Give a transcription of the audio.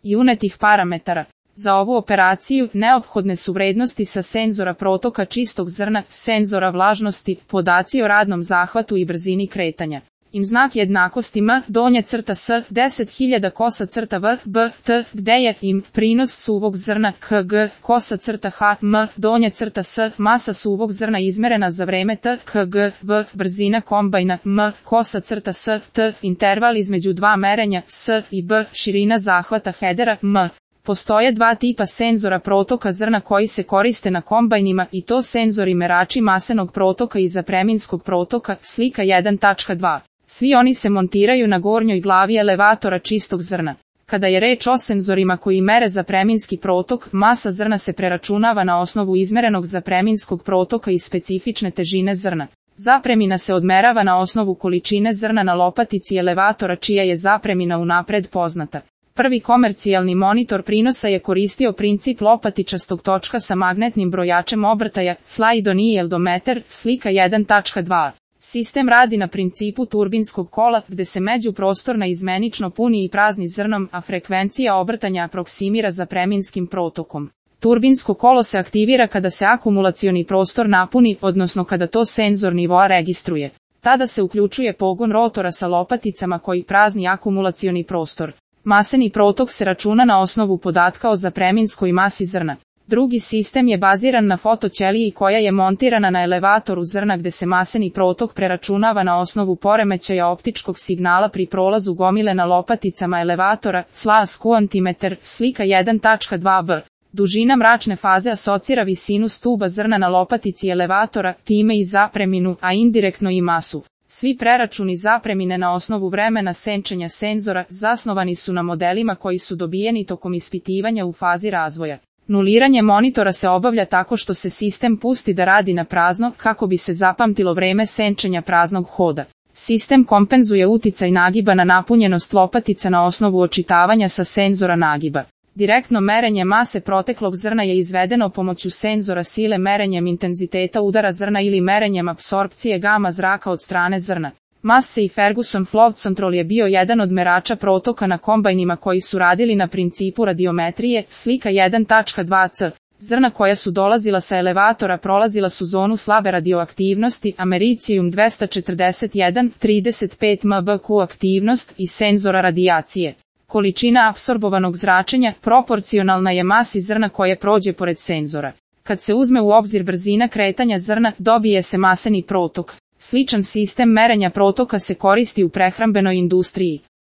i unetih parametara. Za ovu operaciju neophodne su vrednosti sa senzora protoka čistog zrna, senzora vlažnosti, podaci o radnom zahvatu i brzini kretanja. Im znak jednakosti m, donja crta s, 10.000 kosa crta v, b, t, gde je im prinos suvog zrna kg, kosa crta h, m, donja crta s, masa suvog zrna izmerena za vreme t, kg, v, brzina kombajna m, kosa crta s, t, interval između dva merenja s i b, širina zahvata hedera m. Postoje dva tipa senzora protoka zrna koji se koriste na kombajnima i to senzori merači masenog protoka i zapreminskog protoka, slika 1.2. Svi oni se montiraju na gornjoj glavi elevatora čistog zrna. Kada je reč o senzorima koji mere zapreminski protok, masa zrna se preračunava na osnovu izmerenog zapreminskog protoka i specifične težine zrna. Zapremina se odmerava na osnovu količine zrna na lopatici elevatora čija je zapremina unapred poznata. Prvi komercijalni monitor prinosa je koristio princip lopatičastog točka sa magnetnim brojačem obrtaja, slaidonieldometer, slika 1.2. Sistem radi na principu turbinskog kola, gde se međuprostor naizmenično puni i prazni zrnom, a frekvencija obrtanja aproksimira zapreminskim protokom. Turbinsko kolo se aktivira kada se akumulacioni prostor napuni, odnosno kada to senzor nivoa registruje. Tada se uključuje pogon rotora sa lopaticama koji prazni akumulacioni prostor. Maseni protok se računa na osnovu podatka o zapreminskoj masi zrna. Drugi sistem je baziran na fotoćeliji koja je montirana na elevatoru zrna gde se maseni protok preračunava na osnovu poremećaja optičkog signala pri prolazu gomile na lopaticama elevatora, SLA-kuantimeter, slika 1.2b. Dužina mračne faze asocira visinu stuba zrna na lopatici elevatora, time i zapreminu, a indirektno i masu. Svi preračuni zapremine na osnovu vremena senčenja senzora zasnovani su na modelima koji su dobijeni tokom ispitivanja u fazi razvoja. Nuliranje monitora se obavlja tako što se sistem pusti da radi na prazno kako bi se zapamtilo vreme senčenja praznog hoda. Sistem kompenzuje uticaj nagiba na napunjenost lopatica na osnovu očitavanja sa senzora nagiba. Direktno merenje mase proteklog zrna je izvedeno pomoću senzora sile merenjem intenziteta udara zrna ili merenjem apsorpcije gama zraka od strane zrna. Massey i Ferguson Flow Control je bio jedan od merača protoka na kombajnima koji su radili na principu radiometrije, slika 1.2c. Zrna koja su dolazila sa elevatora prolazila su zonu slabe radioaktivnosti, americijum 241, 35 mbq aktivnost i senzora radijacije. Količina apsorbovanog zračenja proporcionalna je masi zrna koje prođe pored senzora. Kad se uzme u obzir brzina kretanja zrna, dobije se maseni protok. Sličan sistem merenja protoka se koristi u prehrambenoj industriji.